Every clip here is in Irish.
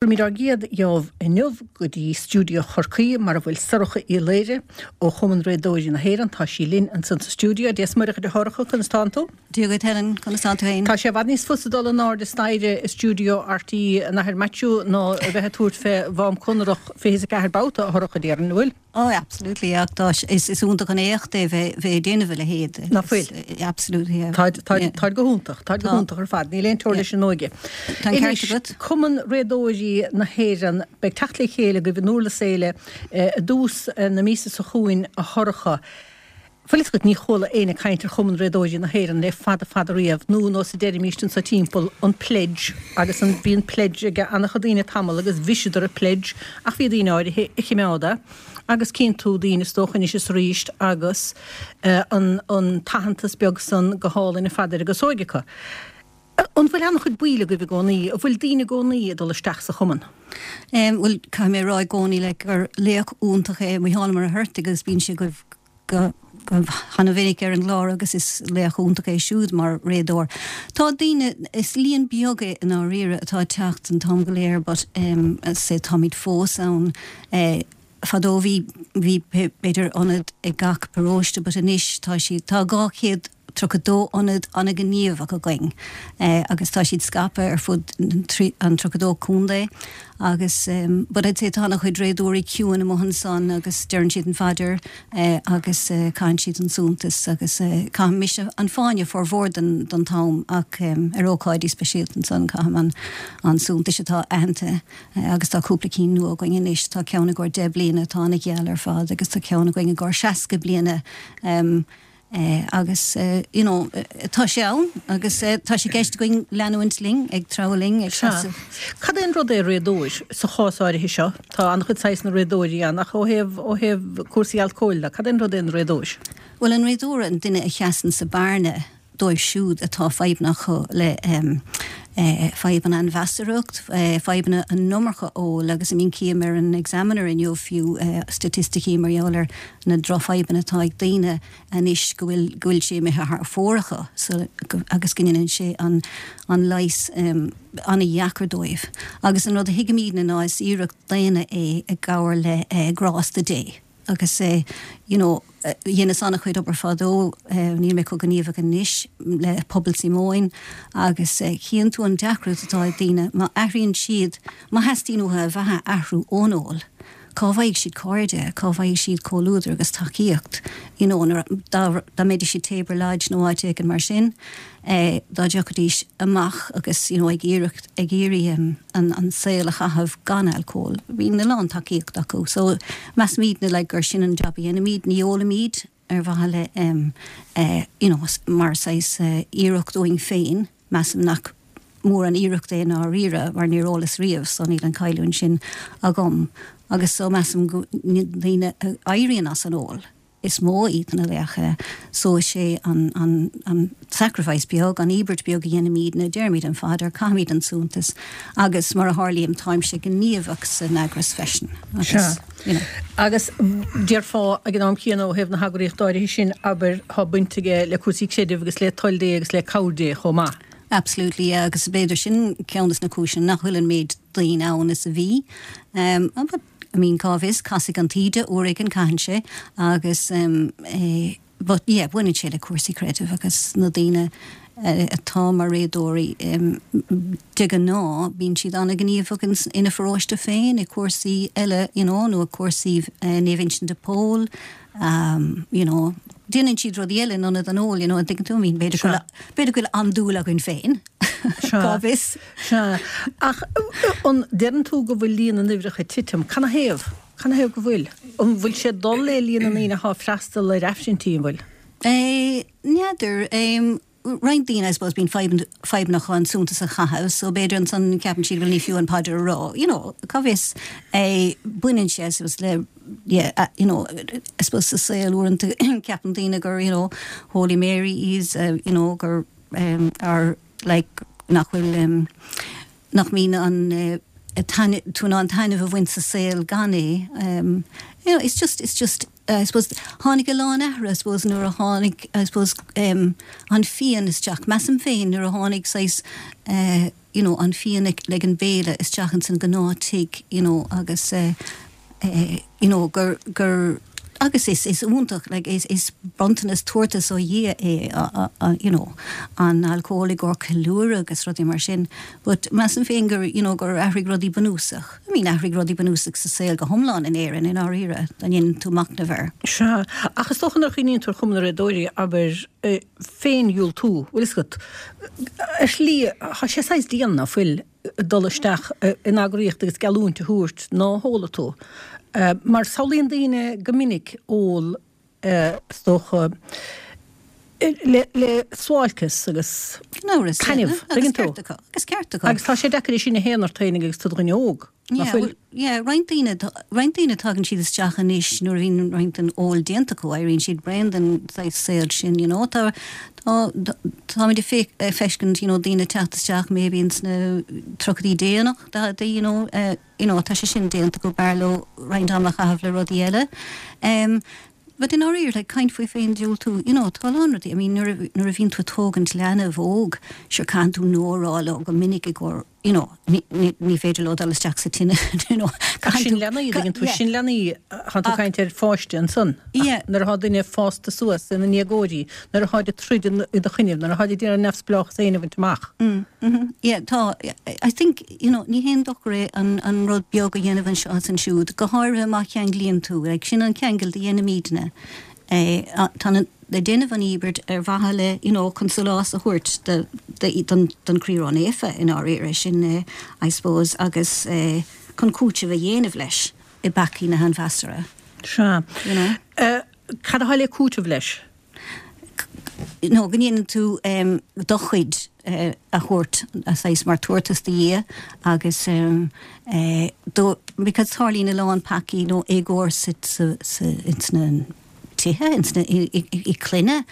Tabharfaimid ár gcéad gheábh inniu go dtí stiúideo Chorcaí mar a bhfuil Sorcha Uí Laoire ó Chumann Réadóirí na hÉireann. Tá sí linn ansan sa stiúideo. Dia 's Muire dhuit a Shorcha, conas tánn tú? Dia dhuit Helen, conas tánn tú féin? Tá sé i bhfad níos fusa dul in airde staighre i stiúideo RTÉ an Athair Maitiú ná a bheith ag tabhairt fé Mhám Conrach 24 babhta, a Shorcha, déarfainn, an bhfuil? Oh absolutely ach tá is is iontach an éacht é bheith bheith ag déanamh a leithéid. Ná fuil? Absolutely yeah. Táid táid táid go hiontach, táid go hiontach ar fad, níl aon teora leis an óige. Tá an ceart agat. Cumann Réadóirí na hÉireann, beidh teacht le chéile agaibh in Durlas Éile i dtús na míosa seo chugainn a Shorcha. Bhfuil fhios agat, ní chuala éinne caint ar Chumann Réadóirí na hÉireann le fada fada riamh, nó nós a deirimíst anso timpeall, an pledge, agus an, bhí an pledge ag an-chuid daoine tamall agus bhriseadar an pledge ach bhí daoine áirithe a chimeád é agus cíonn tú daoine is dócha anois is arís agus an, an t-aitheantas beag san go hálainn ar fad ar a gcasóig acu. An bhfuil an-chuid baill agaibh i gcónaí? An bhfuil daoine i gcónaí ag dul isteach sa chumann? Bhuel, caithfidh mé a rá i gcónaí like gur laoch iontach é Mícheál Ó Muircheartaigh agus bíonn sé agaibh go han-mhinic ar an gclár agus is laoch iontach é siúd mar réadóir. Tá daoine, is líon beag é i ndáiríre atá ag teacht an t-am go léir but say táimid fós ann. Fadó bhí, bhí b'fhéidir ionad ag gach paróiste but anois tá siad, tá 232 ionad an-ghníomhach againn agus tá siad scaipthe ar fud an 32 contae agus but I'd say tá an-chuid réadóirí ciúin amuigh ansan agus deireann siad an phaidir agus caitheann siad an suntas agus caithim mise an fáinne formhór den den t-am ach ar ócáidí speisialta ansan caithim an an suntais atá aitheanta Agus tá cúpla cinn nua againn anois, tá ceann i gcomhair 10 bliana atá ana-gheal ar fad agus tá ceann againn i gcomhair 60 bliana agus you know tá sé ann agus tá sé i gceist againn leanúint linn, ag treabhadh linn, ag seasamh. Cad é an rud é réadóir sa chás áirithe seo? Tá an-chuid saghsanna réadóirí ann ach ó thaobh, ó thaobh cúrsaí alcóil de, cad é an rud é an réadóir? Bhuel an réadóir an duine a sheasann sa bearna dóibh siúd atá fadhbanna acu le fadhbanna an mheasarthacht, fadhbanna an iomarca óil agus I mean cím ar an Examiner inniu fiú staitisticí mar gheall ar na drochfhadhbanna atá ag daoine anois go bhfuil go bhfuil sé imithe thar fóir acu so agus go ndéanann sé an an leigheas an-dheacair dóibh. Agus an rud a thuigimidne ná is iarracht daonna é i gcomhar le grásta Dé. Agus you know dheineas an-chuid obair fadó, níl mé chomh gníomhach anois, le Pobal Síomóin agus chíonn tú an deacracht atá ag daoine má athraíonn siad, má theastaíonn uathu a bheatha a athrú ón ól, cá bhfaighidh siad cairde, cá bhfaighidh siad comhluadar agus tacaíocht, you know nuair, dá, dá mbeidís i Tabor Lodge nó áit éigin mar sin. dá dtiocfaidís amach agus you know ag iarracht ag iarraidh an an saol a chaitheamh gan alcól bíonn a lán tacaíocht acu so measaimidne like gur sin an jab a dhéanaimid ní ólaimid ar mhaithe le em eh you know mar saghas iarracht uainn féin measaim nach mór an iarracht é i ndáiríre mar níor ólas riamh so níl an cailliúint sin agam agus so measaim go ndaoine a éiríonn as an ól is mó iad na laocha so is é an, an, an sacrifice beag, an íobairt beag a dhéanaimidne, deirimid an phaidir, caithimid an suntas agus mar a tharlaíonn táimse gníomhach san eagras freisin agus, you know. Agus déarfá ag an am céanna ó thaobh na heagraíochta áirithe sin, abair, tá baint aige le cúrsaí creidimh agus le toil Dé agus le cabhair Dé chomh maith. Absolutely, yeah, agus b'fhéidir sin ceann des na cúiseanna nach bhfuil an méid daoine ann is a bhí. Um, but I mean cá bhfios, casfaidh an taoide uair éigin, caitheann sé, agus eh but yeah, baineann sé le cúrsaí creidimh agus na daoine atá mar réadóirí de ghnáth bíonn siad an-ghníomhach ina pharóiste féin i cúrsaí eile you know nó i cúrsaí Naomh Uinseann de Pól you know déanann siad rudaí eile in ionad an óil you know an dtuigeann tú I mean b'fhéidir go b'fhéidir go bhfuil andúil againn féin cá bhfios. Sea. Ach an deireann tú go bhfuil líon na n-uimhreacha ag titim? Canathaobh? Canathaobh go bhfuil? An bhfuil sé ag dul le líon na ndaoine atá ag freastal ar aifrinntí, an bhfuil? Eh, n'fheadar. Roinnt daoine, I suppose, bíonn fadhbanna acu an suntas a chaitheamh, so b'fhéidir ansan ceapann siad, bhuel ní fiú an phaidir a rá, you know, cá bhfios. Eh, baineann sé, I suppose, le, yeah, you know, I suppose sa saol uaireanta ceapann daoine gur, you know, Holy Mary is, you know, gur, eh, our, like, nach bhfuil, nach mbíonn an. Tú in ann taitneamh a bhaint sa saol gan é. You know, it's just, it's just, I suppose, tháinig a lán athruithe, I suppose, nuair a tháinig, I suppose, an fíon isteach. Measaim féin nuair a tháinig saghas, you know, an fíon ag an béile isteach ins an gnáth tigh, you know, agus eh, you know, gur, gur, agus is, is iontach, like, is, is bronntanas, tabhartas ó Dhia é, you know, an alcól i gcomhair ceiliúradh agus rudaí mar sin, but measaim féin gur, you know, gur athraigh rudaí bunúsach. I mean, athraigh rudaí bunúsach sa saol go hiomlán in Éirinn, i ndáiríre, dá ndéanann tú machnamh air. Sea, ach is dócha nuair a chuimhníonn tú ar Chumann na Réadóirí, abair, féin-dhiúltú, bhfuil fhios agat, ar shlí, tá sé saghas dian, ná fuil, dul isteach in eagraíocht agus geallúint a thabhairt ná hólfaidh tú. Mar samhlaíonn daoine go minic ól, is dócha, le suáilceas agus taitneamh, tuigeann tú? Agus ceart acu. Agus tá sé deacair é sin a shéanadh ort féinig agus tú i do dhuine óg, ná fuil? Yeah, roinnt daoine, roinnt daoine tagann siad isteach anois nuair a bhíonn roinnt den ól déanta acu, éiríonn siad bréan den saghas saol sin, you know. Tá, tá, táimid ag féach, ag feiscint, you know, daoine ag teacht isteach maybe ins na tríochaidí déanach, daicheadaí, you know, eh, you know, tá sé sin déanta acu, b'fhearr leo roinnt ama a chaitheamh le rudaí eile. Em, but i ndáiríre, like, caint faoi féin-diúltú, you know, tá a lán rudaí, I mean, nuair a, nuair a bhíonn tú ag tógaint leanbh óg, sure, caitheann tú no a rá leo go minic i gcomhair, you know, ní, ní, ní féidir leo dul isteach sa tine, you know. Ach sin leanaí, tuigeann tú, sin leanaí, tá tú ag caint ar pháiste ansan. Yeah. Nuair atá duine fásta suas ina ndéagóirí, nuair atáid ag troid i do choinnibh, nuair atáid ag iarraidh neamhspleáchas féin a bhaint amach. Mm, mhm. Yeah, tá, I think, you know, ní haon dochar é an, an rud beag a dhéanamh anseo is ansiúd, go háirithe má cheanglaíonn tú, like, sin an ceangal a dhéanaimidne. Eh, tá na, ag déanamh an íobairt ar mhaithe le, you know, chun sólás a thabhairt do, do, don, don Chroí Ró-Naofa i ndáiríre, sin eh, I suppose, agus eh, chun cúiteamh a dhéanamh leis i bpeacaí na hainmheasartha. Sea. You know? Eh, cad atá le cúiteamh leis? No, go ndéanann tú em, do chuid eh, a thabhairt, a saghas mar tabhartas do Dhia agus em, eh, do, because tarlaíonn a lán peacaí nó éagóir sa, sa, sa, ins na, tithe, ins na, i gclanna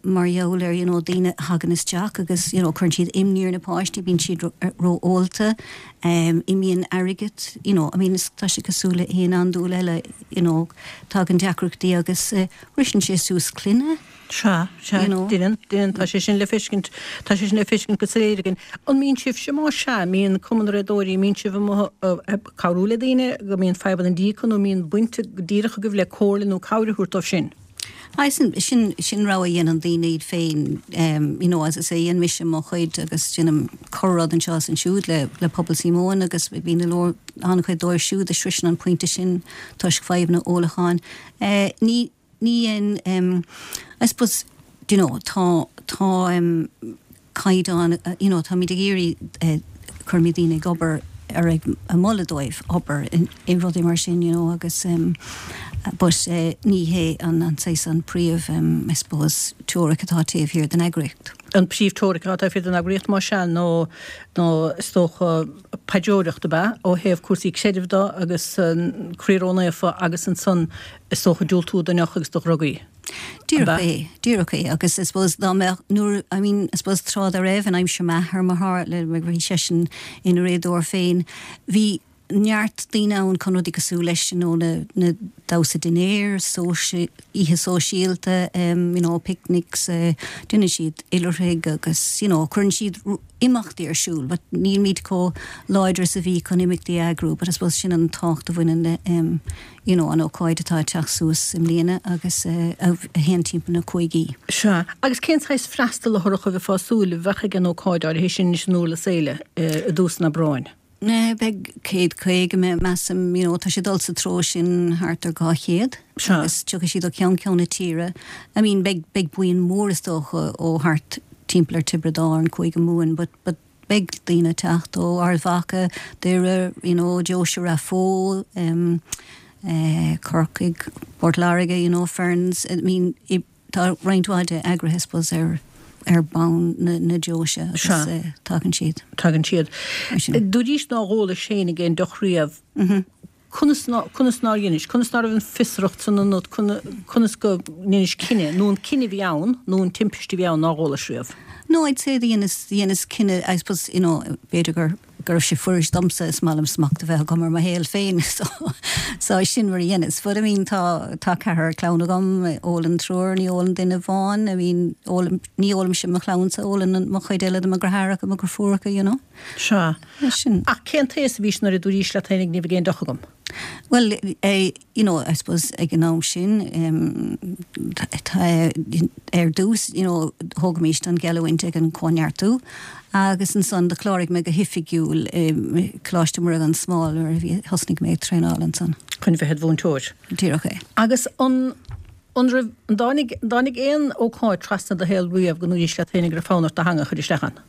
mar gheall ar you know daoine a thagann isteach agus you know cuireann siad imní ar na páistí, bíonn siad ró-ólta, imíonn airgead, you know, I mean is tá sé cosúil le haon andúil eile you know tagann deacrachtaí agus briseann sé suas clainne. Sea, sea, you know. Deineann, deineann, tá sé sin le feiscint, tá sé sin le feiscint go soiléir againn. An mbíonn sibhse, más ea, an mbíonn Cumann na Réadóirí, an mbíonn sibh amuigh ag cabhrú le daoine go mbíonn fadhbanna dí acu nó an mbíonn baint díreach agaibh le comhairle nó cabhair a thabhairt dóibh sin? Aye, sin, sin, sin rogha a dhéanann daoine iad féin, you know, as I say, dhein mise mo chuid agus déanaim corr-rud anseo is ansiúd le, le Pobal Síomóin agus bíonn a leor, an-chuid dóibh siúd a sroiseann an pointe sin toisc fadhbanna ólacháin. Eh, ní, Ní dhein, I suppose, do you know, tá, tá caighdeán, you know, táimid ag iarraidh, cuirimid daoine ag obair ar ag moladh dóibh obair i rudaí mar sin, you know, agus but ní hé an an saghas an príomh, I suppose, teoiric atá taobh thiar den eagraíocht. An príomh-teoiric atá taobh thiar den eagraíocht, más ea, nó, nó is dócha paidreoireacht ab ea, ó thaobh cúrsaí creidimh de agus an Croí Ró-Naofa agus ansan Is dócha diúltú don deoch agus do dhrugaí. Díreach é, díreach é. Agus I suppose dá mbeadh, nuair, I mean, I suppose tráth dá raibh, in aimsir m'athar, mar tharla, mar bhí seisean ina réadóir féin, bhí neart daoine ann chun rudaí cosúil leis, you know, na, na damhsa dinnéir, sóisi, oíche sóisialta, em, you know, picnics, eh, déanann siad oilithrigh agus, you know, cuireann siad imeachtaí ar siúl but nílimid chomh láidir is a bhí chun imeachtaí a eagrú but I suppose sin an tábhacht a bhaineann le em you know an ócáid atá ag teacht suas i mbliana agus eh a théann timpeall na cúigí. Sea. Agus cén saghas freastal a Shorcha a bheifeá ag súil a bheadh ag an ócáid áirithe sin anois in Durlas Éile i dtús an Aibreáin? Beidh 150, measaim, you know, tá sé ag dul sa treo sin thart ar 200 agus tiocfaidh siad ó cheann ceann na tíre. I mean, beidh, beidh buíon mór is dócha ó thart timpeall ar Tiobraid Árann, Cúige Mumhan, but, but beidh daoine ag teacht ó Ard Mhacha, Doire, you know, Deoise Rath Bó, em, eh, Corcaigh, Port Láirge, you know, Ferns, I mean, i, Tá roinnt mhaith de eagraithe, I suppose, ar ar bonn na na deoise agus tagann siad. Tagann siad. Dúraís nár ólais féinig aon deoch riamh. Conas ná conas nár dheinis, conas ná raibh an fiosracht san ionat, conas go ndeinis cinneadh, nó an cinneadh a bhí ann, nó an timpiste a bhí ann nár ólais riamh? No, I'd say dheineas dheineas cinneadh, I suppose, you know, b'fhéidir gur. go raibh sé fuirist domsa, is maith liom smacht a bheith agam ar mo shaol féin so so sin mar a dheineas. But I mean tá tá ceathrar clann agam, ólann triúr, ní ólann duine amháin, I mean ólaim, ní ólaimse mo chlannsa, ólann mo chuid eile de mo dheartháireacha, mo dheirfiúracha, you know. Sea. Sin. Ach cén t-aos a bhís nuair a dúraís leat féinig ní bheidh aon deoch agam? Bhuel, you know, I suppose ag an am sin, ar dtús, you know, thógaimis an gheallúint ag an Cóineartú agus ansan do chláraigh mé go hoifigiúil i Coláiste Muire gan Smál nuair a bhí, thosnaigh mé ag traenáil ansan. Chun bheith id mhúinteoir. Díreach é. Agus an, an raibh, an dtáinig, an dtáinig aon ócáid trasna do shaol riamh go ndúraís leat féinig go raibh fonn ort do theanga a chur isteach ann?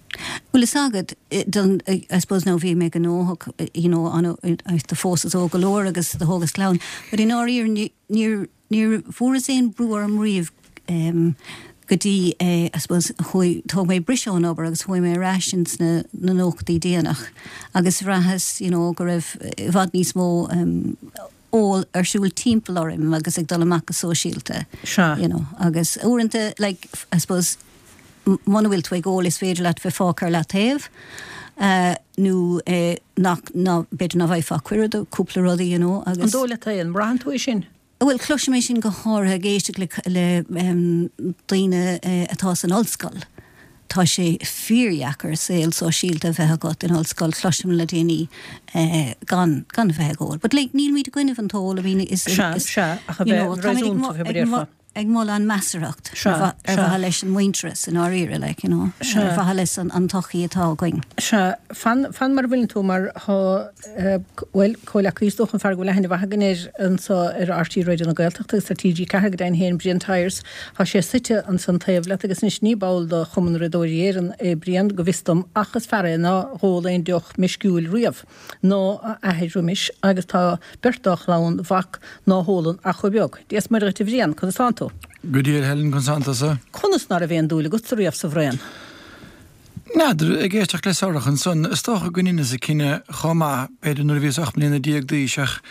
Bhuel fhios agat, don, I suppose now bhí mé gnóthach, you know, an, do phósas óg go leor agus do thógas clann, but i ndáiríre ní, níor, níor fuaireas aon brú orm riamh em go dtí eh I suppose chuaigh, thóg mé briseadh ón obair agus chuaigh mé ar ais ins na, na nóchaidí déanach agus bhraitheas, you know, go raibh i bhfad níos mó em ól ar siúl timpeall orm agus ag dul amach go sóisialta. Sea. You know, agus uaireanta, like, I suppose, muna bhfuil tú ag ól is féidir leat bheith fágtha ar leataobh, nó nach, ná, b'fhéidir ná bhfaighfeá cuireadh do cúpla rudaí, you know, agus. An dóigh leat é? An mbraitheann tú é sin? Bhuel, cloisim é sin go háirithe ag éisteacht le, le daoine atá san ollscoil. Tá sé fíordheacair saol sóisialta a bheith agat in ollscoil, cloisim le daoine gan, gan a bheith ag ól. But like, nílimid i gcoinnibh an t-ól, I mean, is, Sea, is, sea, ach a you know, bheith táimid ag réasúnta, fé mar a déarfá. ag moladh an measarthacht Sea, ar sea. mhaithe leis an muintearas i ndáiríre, like, you know, Sea. ar mhaithe leis an, an tsochaí atá againn. Sea, fan, fan mar a bhfuileann tú mar thá, bhuel, comhleacaí is dócha an fear go bhfuil aithne mhaith againn air anso ar RTÉ Raidió na Gaeltachta agus ar TG4 go deimhin féin, Brian Tyers. Tá sé suite ansan taobh leat agus anois ní ball de Chumann Riadóirí Éireann é Brian, go bhfios dom, ach is fear é ná dh'ól aon deoch meisciúil riamh, ná a athair roimis, agus tá beirt dá chlann mhac ná hólann ach chomh beag. Dia 's Muire dhuit a Bhriain, conas tánn tú? Go diail a Helen, conas tánn tusa? Conas ná raibh aon dúil agatsa riamh sa bhraon? N'fheadar, ag éisteacht le Sorcha ansan, is dócha go ndeineas an cinneadh chomh maith, b'fhéidir nuair a bhíos 18 mbliana d'aois ach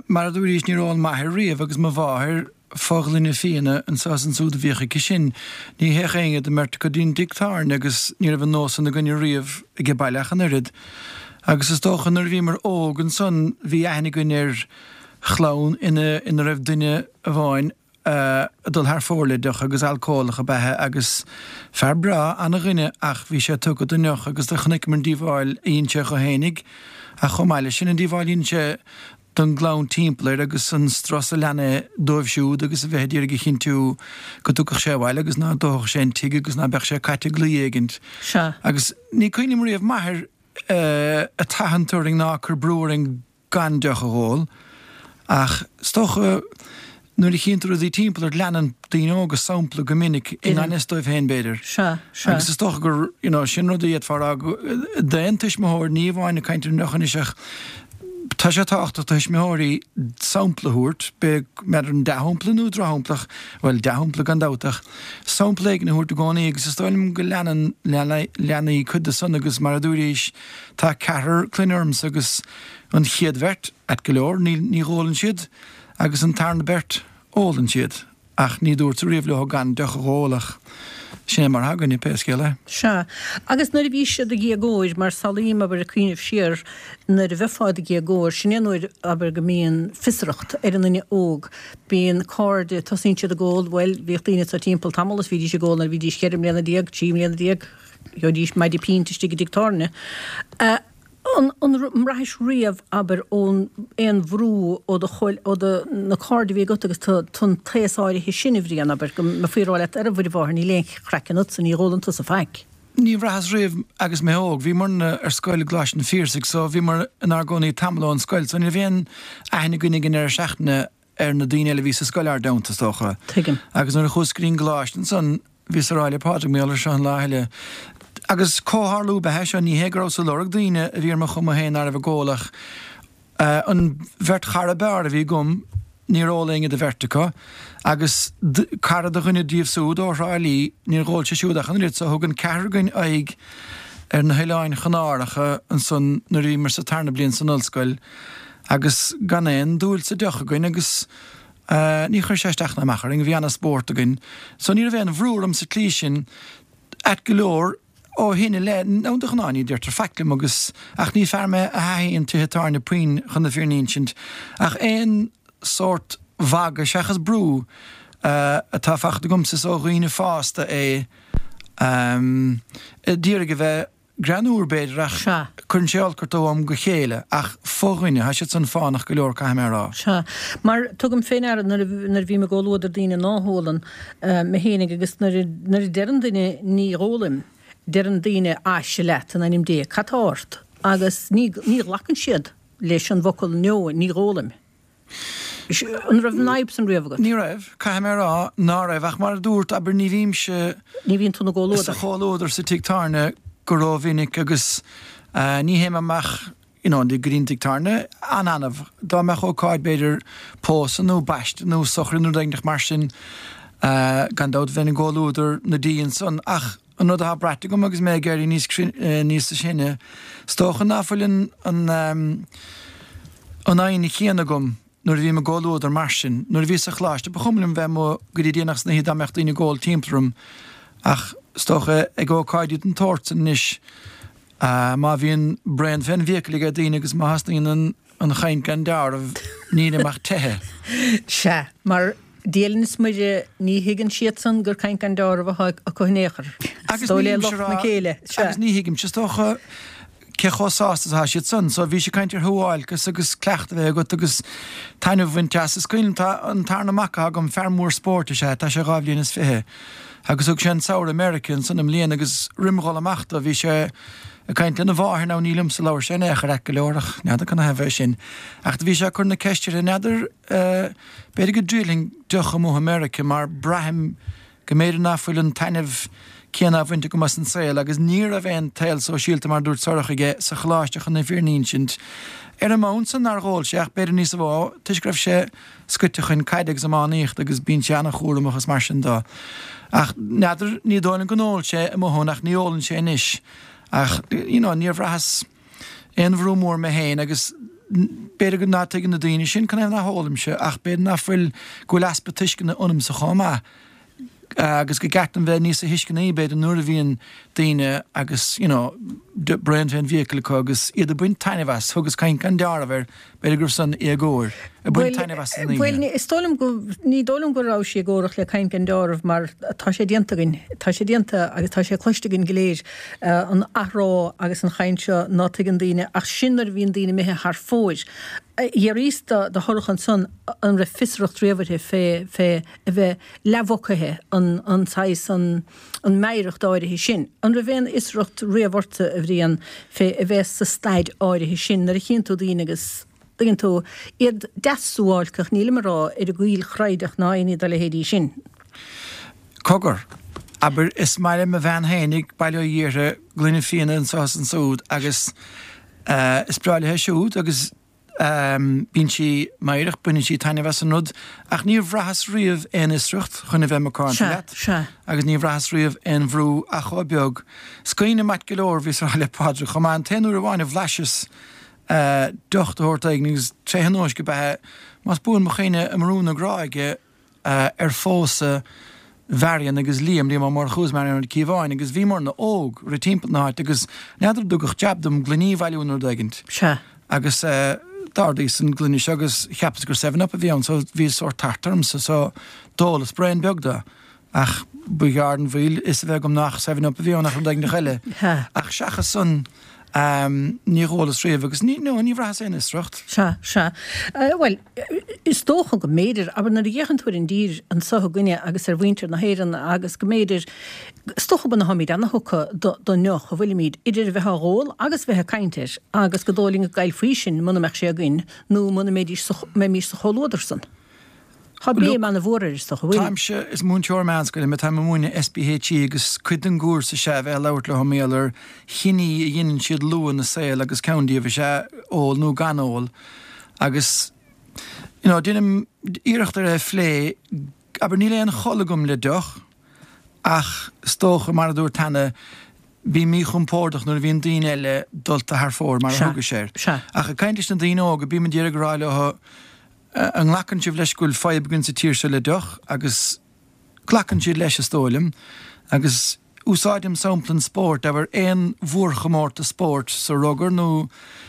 mar a dúraís níor ól m'athair riamh agus mo mháthair, fo-ghloine fíona anso is ansúd a bhíodh aici sin. Ní théadh éinne den mbeirt go dtí an dtigh tábhairne agus ní raibh an nós san againne riamh age baile ach an oiread. Agus is dócha nuair a bhíomar óg ansan bhí aithne againn ar chlann ina ina raibh duine amháin ag dul thar fóir le deoch agus alcólach ab ea é agus fear breá, ana-dhuine ach bhí sé tugtha don ndeoch agus do chonaiceamar an díobháil a dhein sé dho fhéinig ach chomh maith leis sin an díobháil a dhein sé don gclann timpeall air agus an strus a lean é dóibh siúd agus a bheith a d'iarraidh a chinntiú go dtiocfadh sé abhaile agus ná dófadh sé an tigh agus ná beadh sé caite i gcluí éigint. Sea. Agus ní cuimhin liom riamh m'athair ag tathant orainn ná ag cur brú orainn gan deoch a dh'ól ach is dócha nuair a chíonn tú rudaí timpeall ort leanann daoine óga sampla go minic i ngan fhios dóibh féin b'fhéidir. Sea, sea. Agus is dócha gur, you know, sin rud a d'fhéadfá a rá d'aon tuismitheoir, ní amháin ag caint ar an ndeoch anois ach tá sé tábhachtach do thuismitheoirí sampla a thabhairt, b'fhéidir an dea-shampla nó drochshampla ach, bhuel, dea-shampla gan dabht ach sampla éigin a thabhairt i gcónaí agus is dóigh liom go leanann leanaí cuid de san agus mar a dúraís tá ceathrar clainne ormsa agus an chéad bheirt, ait go leor, ní, ní dh'ólann siad. Agus an tarna beirt, ólann siad, ach ní dúrtsa riamh leo gan deoch a dh'ól ach sin é mar atá againne, pé scéal é. Sea. Agus nuair a bhís i do dhéagóir, mar samhlaím, abair, ag cuimhneamh siar, nuair a bheifeá i do dhéagóir, sin é an uair, abair, go mbíonn fiosracht ar an nduine óg. Bíonn cairde, tosaíonn siad ag ól, bhuel, bhíodh daoine anso timpeall tamall is bhídís ag ól nuair a bhídís cheithre mbliana déag, trí mbliana déag, gheobhaidís maide pínt istigh i dtigh tábhairne. An mbraithis riamh, abair, ón aon bhrú ó do chomh, ó do, na cairde a bhí agat agus tú an t-aos áirithe sin, a Bhriain, abair, go mbeifí ag rá leat, ar a Mhuire Mháthair, níl aon chraiceann ionatsa, ní dh'ólann tusa faic. Ní bhraitheas riamh agus mé óg. Bhíomarna ar scoil i gColáiste an Phiarsaigh so bhíomar inár gcónaí tamall ón scoil so ní raibh aon aithne againn ag an ndeireadh seachtaine ar na daoine eile a bhí sa scoil ár dteannta, is dócha. Tuigim. Agus nuair a chuas go dtí an gcoláiste ansan, bhíos ag rá le Pádraig mar gheall air seo an lá eile. Agus comhtharlú ab ea é seo, ní hé go rabhas ag lorg daoine a bhí ar mo chuma féin ná raibh ag ól ach an bheirt chara b'fhearr a bhí agam, níor ól éinne de bheirt acu agus cara de dhuine díobh súd ó Thrá Lí, níor dh'ól sé siúd ach an oiread so thug an ceathrar againn aghaidh ar na hOileáin Chanáracha ansan nuair a bhíomar sa tarna bliain san ollscoil agus gan aon dúil sa deoch againn agus ní chuir sé isteach ná amach orainn, bhí ana-spórt againn. So ní raibh aon bhrú orm sa tslí sin. Ait go leor, ó shin i leith, nó de ghnáth ní deirtear faic liom agus, ach ní fear mé a thaithíonn tithe tábhairne puinn chun na fírinne a insint, ach aon sórt mhagadh seachas brú atá faighte agamsa is ó dhaoine fásta é, a d'iarraidh a bheith greannúr b'fhéidir ach Sea. cuireann sé olc ort ó am go chéile ach fo-dhuine, tá siad san fánach go leor caithfidh mé a rá. Sea. Mar tugaim fé ndeara nuair a nuair a bhím i gcomhluadar daoine ná hólann, mé fhéinig agus nuair a nuair a deireann duine ní dhólaim, deireann daoine aise leat in ainm Dé, cad tá ort? Agus ní ní ghlacann siad leis an bhfocal no, ní dhólaim. An raibh an fhadhb san riamh agat? Ní raibh, caithfidh mé a rá ná raibh, ach mar a dúrt, abair, ní bhímse Ní bhíonn tú ina gcomhluadar. sa chomhluadar sa tigh tábhairne go rómhinic agus ní théim amach you know go dtí an tigh tábhairne an-annamh. Dá mbeadh ócáid, b'fhéidir pósadh nó baisteadh nó sochraid nó rud éigin mar sin, gan dabht bheinn i gcomhluadar na dí ansan ach an rud atá braite agam agus mé ag éirí níos níos sine, is dócha ná fuil an an an fhoighne chéanna agam nuair a bhím i gcomhluadar mar sin. Nuair a bhíos sa choláiste ba chuma liom bheith amuigh go dtí déanach san oíche dá mbeadh daoine ag ól timpeall orm ach is dócha ag ócáidí den tsórt san anois má bhíonn braon fén bhfiacail ag daoine agus má thosnaíonn an an chaint gan deáramh, nílim ach teitheadh. Sea, mar Dia linn is Muire, ní thuigeann siadsan gur caint gan deáramh atá acu in aon chor. Is dóigh le lucht na céille. Sea. Agus ní thuigimse, is dócha, cé chomh sásta is atá siad san. So, bhís ag caint ar shuáilceas agus cleachtadh a bheith agat agus taitneamh a bhaint as. Is cuimhin liom, tá an tarna mac atá agam, fear mór spóirt is ea é, tá sé dhá bhliain is fiche. Agus thug sé an samhradh i Meiriceá ansan i mbliana agus roim dhul amach dó, bhí sé, Ag caint lena mháthair now ní liomsa a labhair sé in aon chor ait go leor ach n'fheadar canathaobh é sin. Ach do bhí sé ag cur na ceiste uirthi n'fheadar eh b'fhéidir go dtriailfinn deoch amuigh i Meirice mar braithim go mb'fhéidir ná fuil an taitneamh céanna á bhaint agam as an saol agus ní raibh aon tsaol sóisialta mar a dúirt Sorcha aige sa choláiste chun na fírinne a insint. Ar an mbonn san nár dhól sé ach b'fhéidir níos mó toisc go raibh sé scoite chun caide agus iománaíochta agus bíonn sé an-chúramach is mar sin dó. Ach n'fheadar, ní dóigh liom go n-ól sé amuigh ann ach ní ólann sé anois. Ach you know níor bhraitheas aon bhrú mór mé féin agus b'fhéidir go ná tuigeann na daoine sin canathaobh ná hólaimse ach b'fhéidir ná fuil, go bhfuil easpa tuisceana ionamsa chomh maith. agus go gceart dom bheith níosa thuisceanaí b'fhéidir nuair a bhíonn daoine agus you know braon fén bhfiacail acu agus iad ag baint taitneamh as, thugas caint gan deáramh air, b'fhéidir go raibh san éagóir, ag baint taitneamh as san oíche. Bhuel, is dóigh liom go, ní dóigh liom go raibh sí éagórach le caint gan deáramh mar tá sé déanta againn, tá sé déanta agus tá sé cloiste againn go léir, an athrá agus an chaint seo ná tuigeann daoine ach sin nuair a bhíonn daoine imithe thar fóir. D'fhiafraíos de Shorcha ansan an raibh fiosracht riamh uirthi fé, fé a bheith leathmhucaithe, an, an saghas, an, an meidhreacht áirithe sin. An raibh aon fhiosracht riamh ortsa, a Bhriain, fé a bheith sa staid áirithe sin nuair a chíonn tú daoine agus, tuigeann tú, iad deas suáilceach, nílim ag rá ar an gcoill chreideach ná aon ní dá leithéidí sin. Cogar, abair, is maith le mo bhean fhéinig, bail ó Dhia uirthi, gloine fíona anso is ansúd agus eh, is breá léithe siúd agus, Bíonn sí meidhreach, baineann sí taitneamh as an rud, ach níor bhraitheas riamh aon fhiosracht, chun a bheith macánta leat, agus níor bhraitheas riamh aon bhrú ach chomh beag. Is cuimhin liom ait go leor, bhíos ag rá le Pádraig chomh maith, an t-aon uair amháin a bhlaiseas deoch de shórt éigin, agus tré thionóisc ab ea é, más buan mo chuimhne, i mBrú na Gráige, ar phósadh Mharion agus Liam, Liam Ó Murchú is Marion Ní Chíobháin, agus bhíomarna óg, rith timpeall na háite agus n'fheadar an dtugadh jab dom gloiní a bhailiú nó rud éigint. Sea. Agus d'ordaíos an gloine seo agus cheapas gur Seven Up a bhí ann so bhí sórt tart ormsa so d'ólas braon beag de. Ach ba ghearr den mhoill fhios a bheith agam nach Seven Up a bhí ann ach rud éigin eile. Sea. Ach seachas san níor dhólas riamh agus ní, no, ní bhraitheas aon fhiosracht. Sea, sea. Bhuel, is dócha go mb'fhéidir, abair nuair a fhéachann tú ar an dtír anso againne agus ar mhuintir na hÉireann agus go mb'fhéidir, is dócha go ntáimid ana-thugtha don ndeoch a bhfuilimid, idir a bheith á dh'ól agus a bheith ag caint air agus gur dóigh linn go gcaillfí sinn muna mbeadh sé againn nó muna mbeidís sa, mbeimis sa chomhluadar san. Tá béim ana-mhór air is dócha, bhfuil? Táimse, is múinteoir meánscoile mé, táim ag múineadh SPHE agus cuid den gcúrsa is ea a bheith ag labhairt leo mar gheall ar chinní a dheineann siad luath ina saol agus ceann díobh is ea ól nó gan ól agus you know deinim iarracht ar é a phlé, abair níl aon chol agam le deoch ach is dócha mar a dúirt cheana bím míchompordach nuair a bhíonn daoine eile dulta thar fóir mar a thugais air. Ach ag caint leis na daoine óga bím ag iarraidh a rá leo An nglacann sibh leis go bhfuil fadhb againn sa tír seo le deoch? Agus glacann siad leis, is dóigh liom. Agus. Úsáidim sampla an spóirt, abair aon mhórchomórtas spóirt, sa rugar nó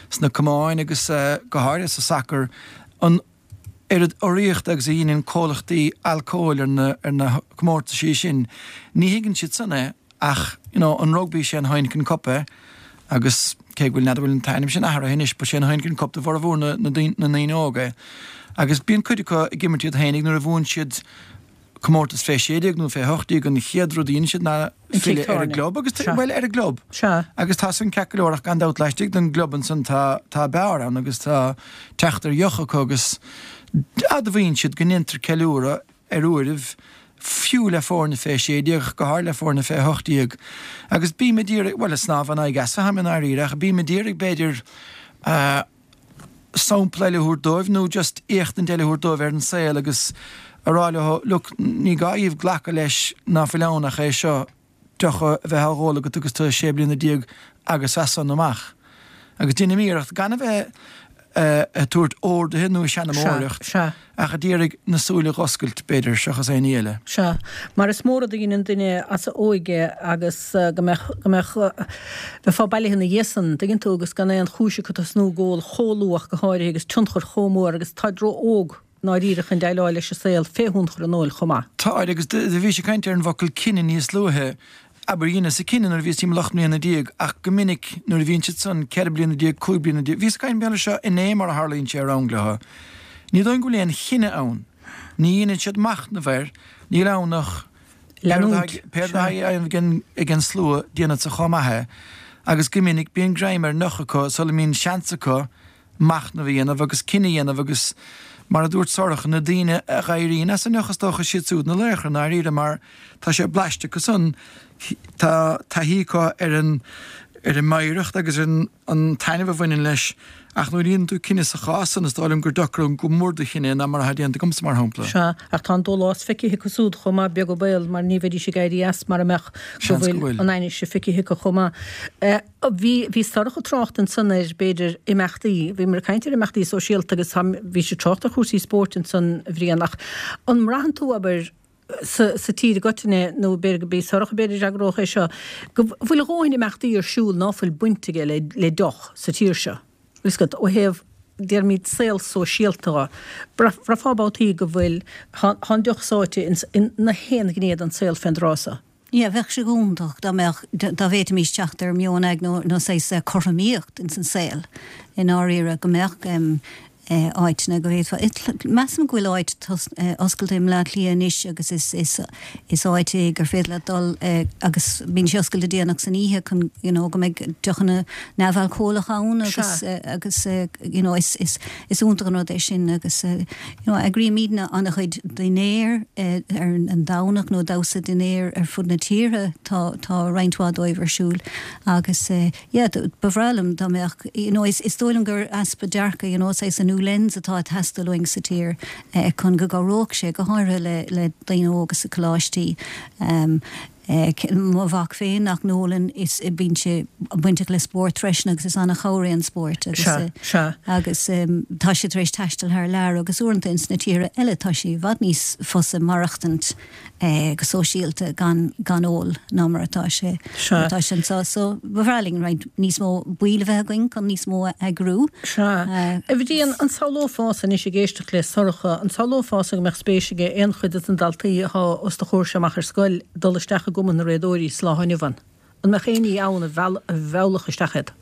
sna camáin agus go háirithe sa sacar, an oiread urraíochta agus a dheineann comhlachtaí alcóil ar na comórtaisí sin, ní thuigeann siad san é ach you know an rugbaí sé an Heineken Cup é agus cé go bhfuil, n'fheadar bhfuil an t-ainm sin athraithe anois but sé an Heineken Cup do bhformhór na ndaoine óga é agus bíonn cuid acu ag imirt iad fhéinig nuair a bhuann siad comórtas fé 16 nó fé 18 an chéad rud a dhéanann siad ná filleadh ar an gclub agus, bhuel, ar an gclub. Agus tá san ceart go leor ach gan dabht laistigh den gclub ansan tá, tá beár ann agus tá teacht ar dheoch acu agus admhaíonn siad go ndéantar ceiliúradh ar uairibh fiú le foirne fé 16 ach go háirithe le foirne fé 18. Agus bím ag iarraidh, bhuel, ag snámh in aghaidh easa atáim i ndáiríre ach bím ag iarraidh b'fhéidir, sampla eile a thabhairt dóibh nó just éachtaint eile a thabhairt dóibh ar an saol agus a rá leo, look, ní gá dhaoibh glacadh leis ná fuil ann ach é seo, deoch a bheith á dh'ól agat agus tú 16 bliana agus as san amach. Agus déanaim iarracht gan a bheith ag tabhairt orduithe nó ag seanmóireacht ach ag iarraidh na súile a dh'oscailt, b'fhéidir, seachas aon ní eile. Sea, mar is mór rud a dheineann duine as a óige agus go mbeadh, go mbeadh, bheifeá bailithe ina dhiaidh san, dtuigeann tú, agus gan aon chúis acu tosnú ag ól chomh luath go háirithe agus tionchar chomh mór agus táid ró-óg i ndáiríre chun déileáil leis an saol fé thionchar an óil chomh maith. Táid, agus do bhís ag caint ar an bhfocal cinneadh níos luaithe, abair, dheineas-sa cinneadh nuair a bhíos timpeall 18 mbliana ach go minic nuair a bhíonn siad san 14 bliana, 15 bliana, bhíos ag caint mar gheall air seo inné mar a tharlaíonn sé ar rang leo. Ní dóigh go bhfuil aon chinneadh ann. Ní dheineann siad machnamh air, níl ann ach leanúint. Pé rud atá ag an slua, déanfadsa chomh maith é. Agus go minic bíonn greim ar an ndeoch acu sula mbíonn seans acu machnamh a dhéanamh agus cinneadh a dhéanamh agus, mar a dúirt Sorcha, na daoine a dh'éiríonn as an ndeoch is dócha siad súd na laochra i ndáiríre mar tá sé blaiste acu san, tá taithí acu ar an ar an meidhreacht agus ar an taitneamh a bhaineann leis ach nuair a dhéanann tú cinneadh sa chás san is dóigh liom gur deacra go mór do chinneadh ná mar atá déanta agamsa mar shampla. Sea, ach tá an dólás feicthe acu súd chomh maith, beag an baol, mar ní bheidís ag éirí as mara mbeadh go bhfuil an ainnise feicthe acu chomh maith. Bhí, bhí Sorcha ag trácht ansan ar, b'fhéidir, imeachtaí, bhíomar ag caint ar imeachtaí sóisialta agus tá, bhí sí ag trácht ar chúrsaí spóirt ansan, a Bhriain, ach an mbraitheann tú, abair, sa, sa tír i gcoitinne, nó b'fhéidir gurb í Sorcha b'fhéidir a d'fhreagródh é seo, go bhfuil a dhóthain imeachtaí ar siúl ná fuil baint aige le, le deoch sa tír seo? Bhfuil 'fhios agat, ó thaobh, déarfaimid, saol sóisialta dho, bhraithfeá babhtaí go bhfuil, tá, tá an deoch sáite ins, in na haon ghné den saol fén dtráth so. Yeah, bheadh sé go hiontach dá mbeadh, dá bhféadfaimis teacht ar meon nó nó saghas cothromaíocht ins an saol i ndáiríre, go mbeadh áiteanna go bhféadfá, measaim go bhfuil áit oscailte i mBleá Cliath anois agus is is is áit é gur féidir leat dul agus bíonn sé oscailte déanach san oíche chun you know go mbeidh deochanna neamhalcólacha ann agus agus you know is is Is iontach an rud é sin agus you know eagraímidne an-chuid dinnéar ar an Domhnach nó damhsa dinnéir ar fud na tíre, tá tá roinnt mhaith dóibh ar siúl agus yeah ba bhreá liom dá mbeadh you know is is dóigh liom gur easpa dearcaidh you know saghas a new lens atá ag teastáil uainn sa tír chun go gcabhródh sé go háirithe le le daoine óga sa coláistí. Mo mhac féin nach n-ólann is bíonn sé bainteach le spórt freisin agus is an-chabhair é an spórt agus agus tá sé tar éis taisteal thar lear agus uaireanta ins na tíortha eile tá sé i bhfad níos fusa maireachtaint go sóisialta gan gan ól ná mar atá sé mar atá sé anseo. So ba bhreá linn roinnt níos mó baill a bheith againn chun níos mó a eagrú. Sea. A Bhriain, an samhlófása anois ag éisteacht le Sorcha, an samhlófása go mbeadh spéis aige aon chuid de na daltaí atá os do chomhair-se amach ar scoil dul isteach i gCumann na Réadóirí sa lá inniu ann? An mbeadh aon ní ann a mheallfadh isteach iad?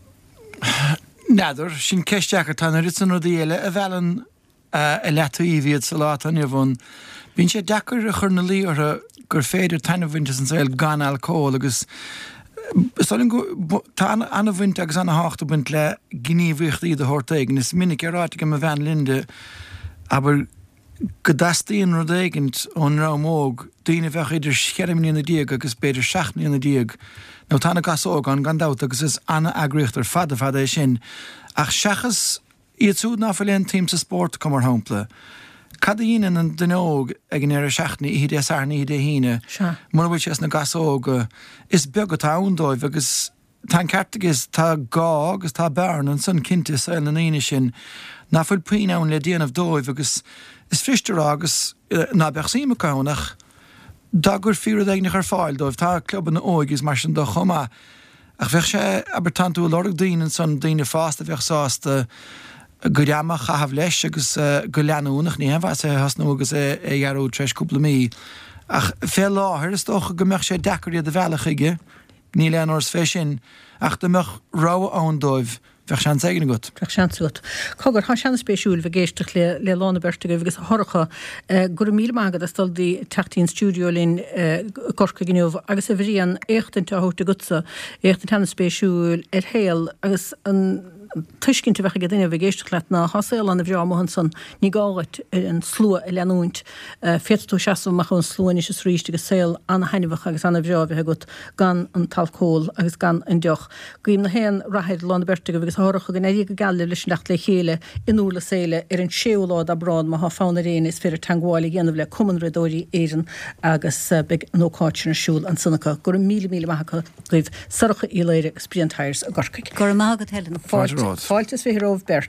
N'fheadar. Sin ceist deacair. Tá an oiread san rudaí eile a mheallann i leataobh iad sa lá atá inniu ann. Bíonn sé deacair a chur ina luí orthu gur féidir taitneamh a bhaint as an saol gan alcól agus is dóigh liom go tá an-bhaint agus an-thábhacht ag baint le gníomhaíochtaí de shórt éigin. Is minic é ráite ag mo bhean Linda, abair, go dteastaíonn rud éigint ón ndream óg, daoine a bheadh idir cheithre mbliana déag agus b'fhéidir seacht mbliana déag, nó tá na Gasóga ann gan dabht agus is an-eagraíocht ar fad ar fad é sin, ach seachas Iad siúd ná fuil aon tsuim sa spórt acu, mar shampla. Cad a dheineann an duine óg ag an ndeireadh seachtaine, oíche Dé Sathairn, oíche Dé hAoine, mura bhfuil sé sna Gasóga? Is beag atá ann dóibh agus tá an ceart aige, tá gá agus tá bearna ansan cinnte i saol na ndaoine sin ná fuil puinn ann le déanamh dóibh agus is fuirist a rá agus ná beadh suim acu ann ach. Dá gcuirfí rud éigneach ar fáil dóibh, tá clubanna óige is mar sin de chomh maith, ach bheadh sé, abair, tánn tú ag lorg daoine ansan, daoine fásta a bheadh sásta a gcuid ama a chaitheamh leis agus go leanúnach, ní haon mhaitheas é a thosnú agus é a dhearúd tar éis cúpla mí. Ach fé láthair is dócha go mbeadh sé deacair iad a mhealladh chuige, níl aon amhras fé sin, ach dá mbeadh rogha ann dóibh, Bheadh seans éigin agat. Bheadh seans agat. Cogar, tá sé an-spéisiúil bheith ag éisteacht le le lá na beirte agaibh agus a Shorcha, go raibh míle maith agat as dul teacht dtí an stiúideo linn i gCorcaigh inniu agus a Bhriain, éachtaint á thabhairt agatsa, éachtaint an-spéisiúil ar shaol agus an tuiscint a bheadh ag duine a bheith ag éisteacht leat ná tá saol an-bhreá amuigh ansan, ní gá dhuit an slua a leanúint, féadfaidh tú seasamh amach ón slua anois is arís agus saol an-thaitneamhach agus an-bhreá a bheith agat gan an t-alcól agus gan an deoch. Guím na haon rath ar lá na beirte agaibh agus a Shorcha go n-éirí go geal libh leis an dteacht le chéile in Durlas Éile ar an 6ú lá d'Aibreán. Má thá fonn ar éinne is féidir teangmháil a dhéanamh le Cumann Riadóirí Éireann agus beidh an ócáid sin ar siúl ansan acu. Go raibh míle míle maith acu agaibh Sorcha Uí Laoire agus Brian Tyers i gCorcaigh. Go raibh maith agat Helen. Fáilte, fáilte is 20 romhaibh beirt.